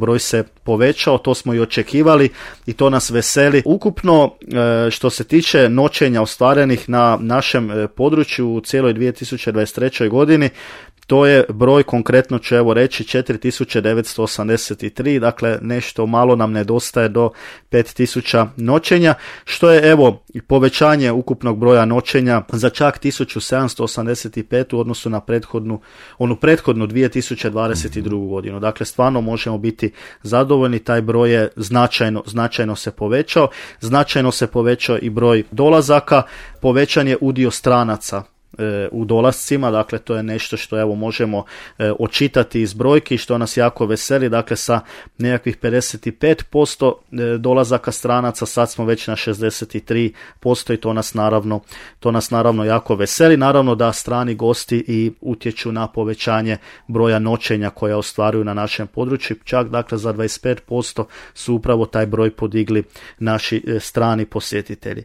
broj se povećao, to smo i očekivali i to nas veseli. Ukupno što se tiče noćenja ostvarenih na našem području u cijeloj 2023. godini, to je broj, konkretno ću evo reći, 4983, dakle nešto malo nam nedostaje do 5000 noćenja, što je evo povećanje ukupnog broja noćenja za čak 1785 u odnosu na prethodnu 2022. godinu. Dakle, stvarno možemo biti zadovoljni, taj broj je značajno se povećao. Značajno se povećao i broj dolazaka, povećan je udio stranaca u dolascima, dakle to je nešto što evo možemo očitati iz brojki, što nas jako veseli, dakle sa nekakvih 55% dolazaka stranaca sad smo već na 63% i to nas naravno jako veseli. Naravno da strani gosti i utječu na povećanje broja noćenja koja ostvaruju na našem području, čak dakle za 25% su upravo taj broj podigli naši strani posjetitelji.